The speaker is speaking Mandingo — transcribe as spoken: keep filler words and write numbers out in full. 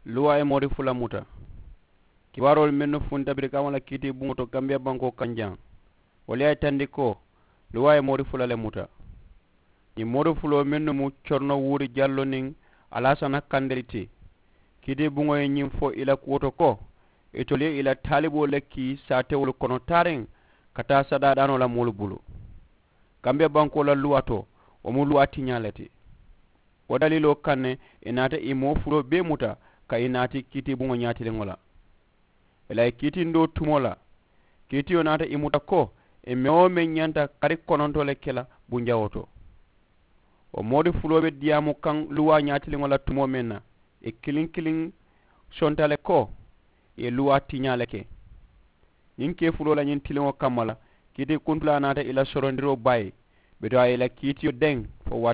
Luwaa ye moori fula muta. Kibaaroolu mennu funta birikama la kiitibuŋo to kambiya bankoo kaŋ jaŋ, wolu ye a yitandi ko luwaa ye moori fula le muta. Ñiŋ moori fuloo mennu mu corono wuuri jallo niŋ alaasana kandeli ti, kiitibuŋo ye ñiŋ fo i la kuwo to ko, itolu ye i la taaliboolu le kii saatewolu kono taariŋ ka taa sadaadaanoo la moolu bulu. Kambiya bankoo la luwaa to, wo mu luwaa tiñaa le ti. Wo daliiloo kaŋ ne, ì naata ì moo fuloo bee muta ka ì naati kiitibuŋo ñaatiliŋo la. Ì la ì kiitindoo tumoo la, kiitiyo naata ì muta ko ì meŋ-wo-meŋ ñanta kari kononto le ke la bunjawoo to. Wo moori fuloo be diyaamu kaŋ luwaa ñaatiliŋo la tumoo meŋ na, ì kiliŋ-kiliŋ sonta le ko ì ye luwaa tiñaa le ke. Ñiŋ kee fuloo la ñiŋ tiliŋo kamma la, kiitiikuntulaa naata ì la sorondiroo baayi, bituŋ a ye ì la kiitiyo deŋ fo waati.